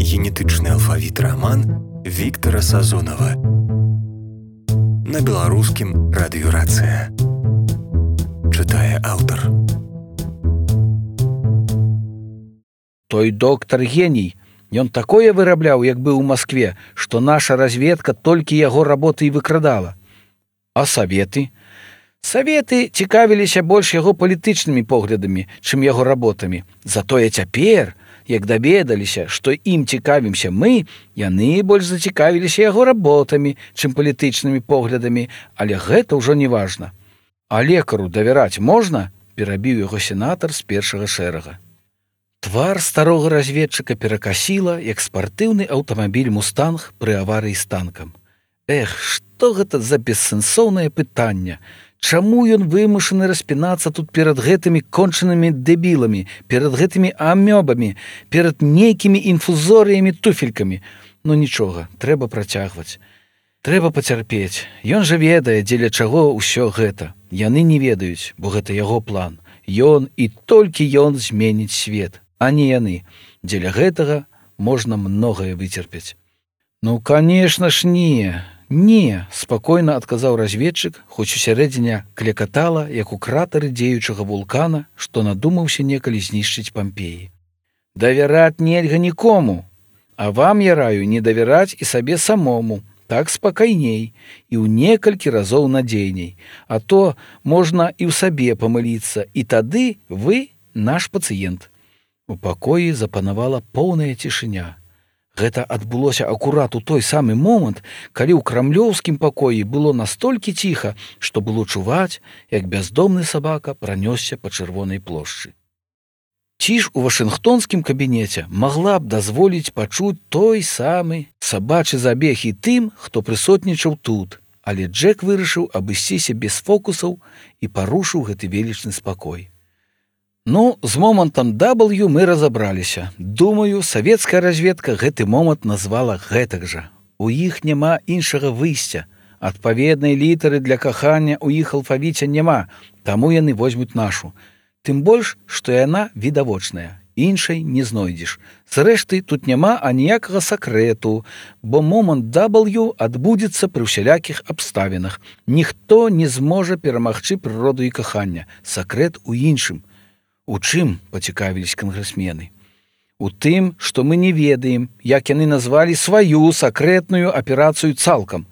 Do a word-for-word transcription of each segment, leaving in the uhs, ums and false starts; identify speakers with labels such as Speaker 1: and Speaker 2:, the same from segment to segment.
Speaker 1: генетычны алфавіт раман Віктара Сазонава. На беларускім радыёрацыя. Чытае аўтар.
Speaker 2: Той доктар геній. Ён такое вырабляў, як быў у Маскве, што наша разведка толькі яго работы і выкрадала. А саветы? Саветы цікавіліся больш яго палітычнымі поглядамі, чым яго работамі. Затое цяпер, як даведаліся, што ім цікавімся мы, яны больш зацікавіліся яго работамі, чым палітычнымі поглядамі, але гэта ўжо не важна. А лекару давяраць можна? Перабіў яго сенатар з першага шэрага. Твар старога разведчыка перакасіла, як спартыўны аўтамабіль «Мустанг» пры аварыі з танкам. Эх, што гэта за бессэнсоўнае пытанне? Чаму ён вымушаны распінацца тут перад гэтымі кончанымі дэбіламі, перад гэтымі амёбамі, перад нейкімі інфузорыямі туфелькамі? Ну нічога, трэба працягваць. Трэба пацярпець. Ён жа ведае, дзеля чаго ўсё гэта. Яны не ведаюць, бо гэта яго план. Ён і толькі ён зменіць свет, а не яны. Дзеля гэтага можна многае выцерпець. Ну, канешна ж, не. Не, спакойна адказаў разведчык, хоць усярэдзіне клекатала, як у кратары дзеючага вулкана, што надумаўся некалі знішчыць Пампеі. Давяраць нельга нікому, а вам я раю не давяраць і сабе самому, так спакайней і ў некалькі разоў надзейней, а то можна і ў сабе памыліцца, і тады вы наш пацыент. У пакоі запанавала поўная цішыня. Гэта адбылося акурат у той самы момант, калі ў крамлёўскім пакоі было настолькі ціха, што было чуваць, як бяздомны сабака пранёсся па чырвонай плошчы. Ці ж у вашынгтонскім кабінеце магла б дазволіць пачуць той самы сабачы забег і тым, хто прысутнічаў тут, але Джек вырашыў абысціся без фокусаў і парушыў гэты велічны спакой. Ну, з момантам дабл ю мы разабраліся. Думаю, савецкая разведка гэты момант назвала гэтак жа. У іх няма іншага выйсця. Адпаведнай літары для кахання ў іх алфавіце няма, таму яны возьмуць нашу. Тым больш, што яна відавочная. Іншай не знойдзеш. Зрэшты, тут няма аніякага сакрэту, бо момант дабл ю адбудзецца пры ўсялякіх абставінах. Ніхто не зможа перамагчы прыроду і кахання. Сакрэт у іншым. У чым, пацікавіліся кангрэсмены? У тым, што мы не ведаем, як яны назвалі сваю сакрэтную аперацыю цалкам.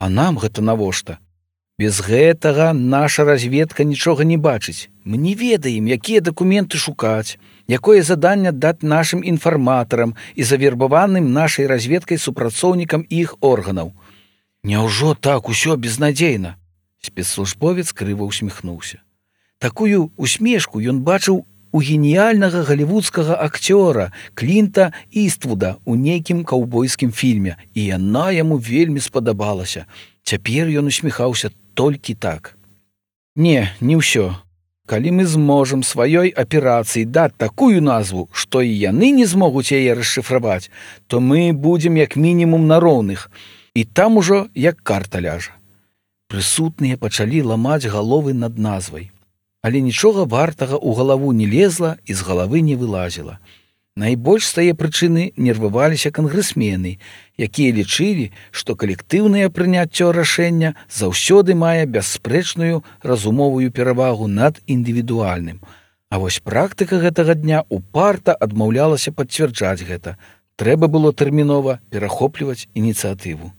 Speaker 2: А нам гэта навошта? Без гэтага наша разведка нічога не бачыць. Мы не ведаем, якія дакументы шукаць, якое заданне даць нашым інфарматарам і завербаваным нашай разведкай супрацоўнікам іх органаў. Няўжо так усё безнадзейна? Спецслужбовец крыва усміхнуўся. Такую усмешку ён бачыў у геніяльнага галівудскага акцёра Клінта Іствуда ў нейкім каўбойскім фільме, і яна яму вельмі спадабалася. Цяпер ён усміхаўся толькі так. Не, не ўсё. Калі мы зможам сваёй аперацыі даць такую назву, што і яны не змогуць яе расшыфраваць, то мы будзем як мінімум на роўных, і там ужо як карта ляжа. Прысутныя пачалі ламаць галовы над назвай. Але нічога вартага ў галаву не лезла і з галавы не вылазіла. Найбольш з тае прычыны нерваваліся кангрэсмены, якія лічылі, што калектыўнае прыняццё рашэння заўсёды мае бясспрэчную разумовую перавагу над індывідуальным. А вось практыка гэтага дня упарта адмаўлялася пацвярджаць гэта. Трэба было тэрмінова перахопліваць ініцыятыву.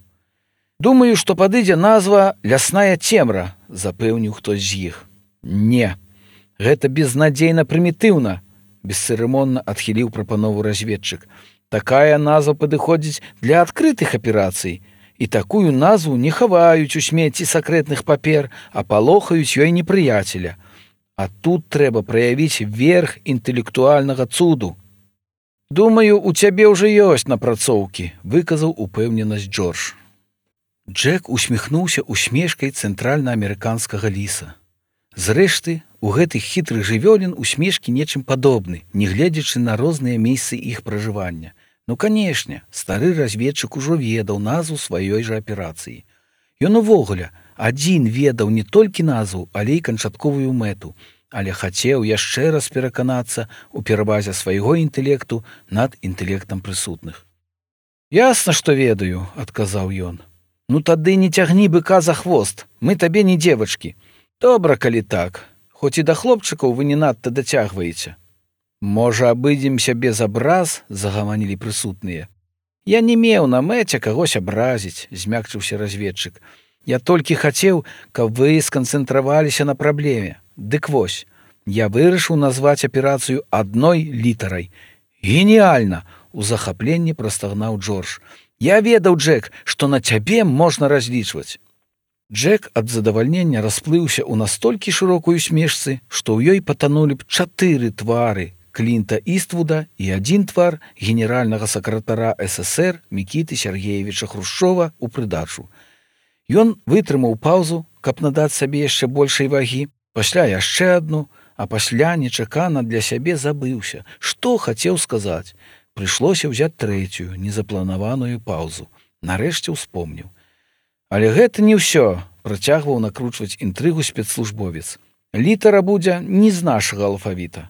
Speaker 2: Думаю, што падыдзе назва «Лясная цемра», запэўніў хтось з іх. Не, гэта безнадзейна прымітыўна, бесцырымонна адхіліў прапанову разведчык. Такая назва падыходзіць для адкрытых аперацый, і такую назву не хаваюць у смецці сакрэтных папер, а палохаюць ёй непрыяцеля. А тут трэба праявіць верх інтэлектуальнага цуду. Думаю, у цябе ўжо ёсць напрацоўкі, выказаў упэўненасць Джордж. Джек усміхнуўся усмешкай цэнтральнаамерыканскага ліса. Зрэшты, у гэтых хітрых жывёлін усмешкі нечым падобны, нягледзячы на розныя месцы іх пражывання. Ну, канешне, стары разведчык ужо ведаў назву сваёй жа аперацыі. Ён увогуле адзін ведаў не толькі назву, але і канчатковую мэту, але хацеў яшчэ раз пераканацца ў перавазе свайго інтэлекту над інтэлектам прысутных. Ясна, што ведаю, адказаў ён. Ну тады не цягні быка за хвост, мы табе не дзевачкі. Добра, калі так, хоць і да хлопчыкаў вы не надта дацягваеце. Можа, абыдземся без абраз, загаманілі прысутныя. Я не меў на мэце кагось абразіць, змякчыўся разведчык. Я толькі хацеў, каб вы сканцэнтраваліся на праблеме. Дык вось, я вырашыў назваць аперацыю адной літарай. Геніальна! У захапленні прастагнаў Джордж. Я ведаў, Джек, што на цябе можна разлічваць. Джек ад задавальнення расплыўся ў настолькі шырокую смешцы, што ў ёй патанулі б чатыры твары Клінта Іствуда і адзін твар генеральнага сакратара эс эс ер Мікіты Сергеевіча Хрушчова ў прыдачу. Ён вытрымаў паўзу, каб надаць сабе яшчэ большай вагі, пасля яшчэ адну, а пасля нечакана для сябе забыўся, што хацеў сказаць. Прыйшлося ўзяць трэцюю, незапланаваную паўзу. Нарэшце ўспомніў. Але гэта не ўсё, працягваў накручваць інтрыгу спецслужбовец. Літара будзе не з нашага алфавіта.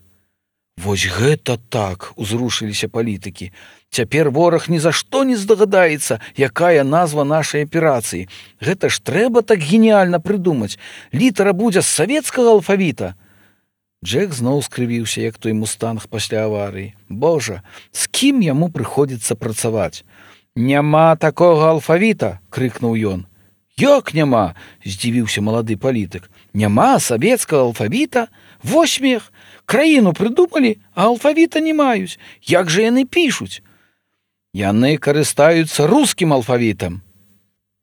Speaker 2: Вось гэта так, узрушыліся палітыкі. Цяпер вораг ні за што не здагадаецца, якая назва нашай аперацыі. Гэта ж трэба так геніальна прыдумаць. Літара будзе з савецкага алфавіта. Джек зноў скрывіўся, як той мустанг пасля аварыі. Божа, з кім яму прыходзіцца працаваць? Няма такога алфавіта, крыкнуў ён. Як няма? Здзівіўся малады палітык. Няма савецкага алфавіта? Вось смех! Краіну прыдумалі, а алфавіта не маюць. Як жа яны пішуць? Яны карыстаюцца рускім алфавітам.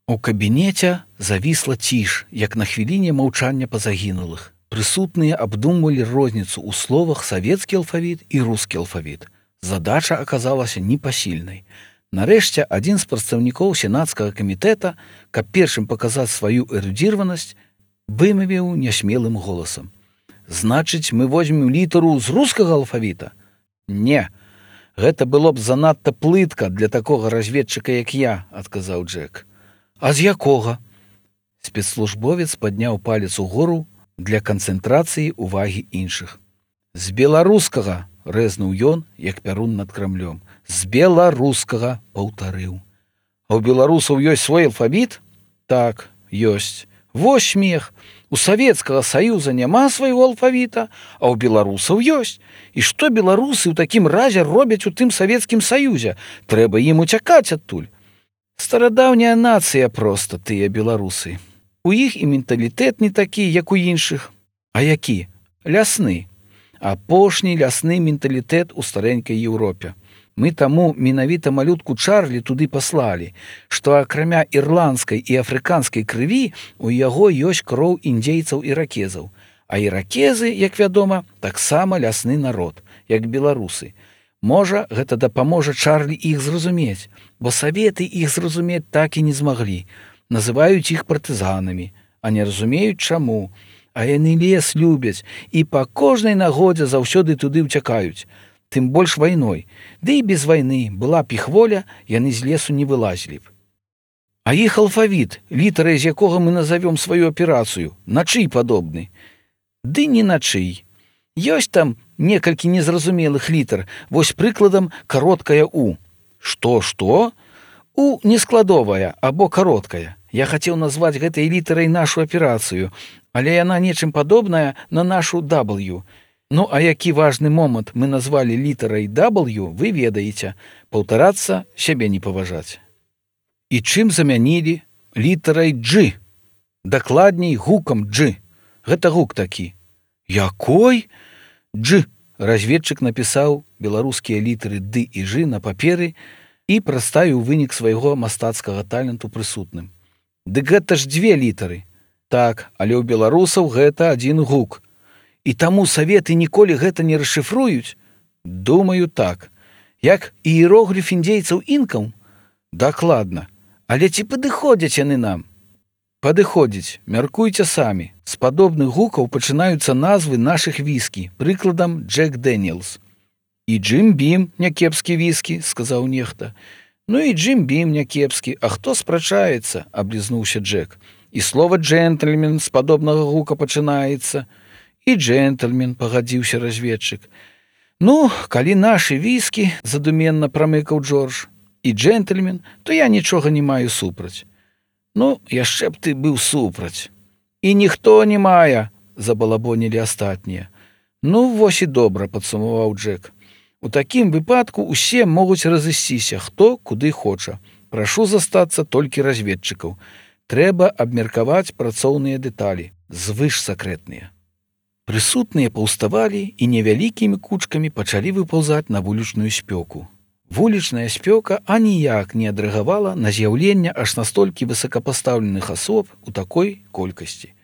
Speaker 2: У кабінеце завісла ціш, як на хвіліне маўчання па загінулых. Прысутныя абдумвалі розніцу ў словах савецкі алфавіт і рускі алфавіт. Задача аказалася непасільнай. Нарэшце адзін з прадстаўнікоў сенацкага камітэта, каб першым паказаць сваю эрудзіраванасць, вымавіў нясмелым голасам. Значыць, мы возьмем літару з рускага алфавіта? Не, гэта было б занадта плытка для такога разведчыка, як я, адказаў Джек. А з якога? Спецслужбовец падняў палец угору для канцэнтрацыі ўвагі іншых. З беларускага, рэзнуў ён, як пярун над Крамлём. З беларускага, паўтарыў. А ў беларусаў ёсць свой алфавіт? Так, ёсць. Вось смех. У Савецкага Саюза няма свайго алфавіта, а ў беларусаў ёсць. І што беларусы ў такім разе робяць у тым Савецкім Саюзе? Трэба ім уцякаць адтуль. Старадаўняя нацыя проста, тыя беларусы. У іх і менталітэт не такі, як у іншых. А які? Лясны. Апошні лясны менталітэт у старэнькай Еўропе. Мы таму менавіта малютку Чарлі туды паслалі, што акрамя ірландскай і афрыканскай крыві у яго ёсць кроў індзейцаў і іракезаў. А іракезы, як вядома, таксама лясны народ, як беларусы. Можа, гэта дапаможа Чарлі іх зразумець, бо саветы іх зразумець так і не змаглі. Называюць іх партызанамі, а не разумеюць чаму. А яны лес любяць і па кожнай нагодзе заўсёды туды ўцякаюць. Тым больш вайной. Ды і без вайны была б іх воля, яны з лесу не вылазілі б. А іх алфавіт, літарай з якога мы назовём сваю аперацыю, на чый падобны? Ды не на чый. Ёсць там некалькі незразумелых літар, вось прыкладам кароткая У. Што, што? У нескладовая або кароткая. Я хацеў назваць гэтай літарай нашу аперацыю, але яна нечым падобная на нашу W. Ну, а які важны момант мы назвалі літарай W, вы ведаеце. Паўтарацца, сябе не паважаць. І чым замянілі? Літарай G. Дакладней, гукам G. Гэта гук такі. Якой? G. Разведчык напісаў беларускія літары D і G на паперы і праставіў вынік свайго мастацкага таленту прысутным. Дык гэта ж дзве літары. Так, але ў беларусаў гэта адзін гук. І таму саветы ніколі гэта не расшыфруюць? Думаю, так. Як іерогліф індзейцаў інкаў? Дакладна. Але ці падыходзяць яны нам? Падыходзіць, мяркуйце самі. З падобных гукаў пачынаюцца назвы нашых віскі, прыкладам Джек Дэніелс. І Джим Бім някепскі віскі, сказаў нехта. Ну і Джим Бім някепскі, а хто спрачаецца, аблізнуўся Джек. І слова джентльмен з падобнага гука пачынаецца. І джентльмен, пагадзіўся разведчык. Ну, калі нашы віскі, задуменна прамыкаў Джордж. і джентльмен, то я нічога не маю супраць. Ну, яшчэ б ты быў супраць. І ніхто не мае, забалабонілі астатнія. Ну, вось і добра, падсумаваў Джек. У такім выпадку усе могуць разысціся, хто куды хоча. Прашу застацца толькі разведчыкаў. Трэба абмеркаваць працоўныя дэталі, звышсакрэтныя. Прысутныя паўставалі і невялікімі кучкамі пачалі выпаўзаць на вулічную спёку. Вулічная спёка аніяк не адрэагавала на з'яўленне аж настолькі высокапастаўленых асоб у такой колькасці.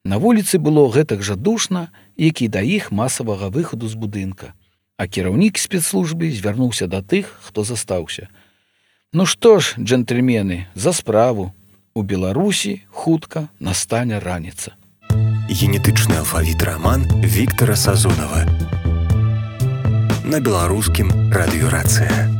Speaker 2: На вуліцы было гэтак жа душна, як і да іх масавага выхаду з будынка. А кіраўнік спецслужбы звярнуўся да тых, хто застаўся. Ну што ж, джентльмены, за справу. У Беларусі хутка настане раніца.
Speaker 1: Генетычны алфавіт раман Віктара Сазонава. На беларускім радыёрацыя.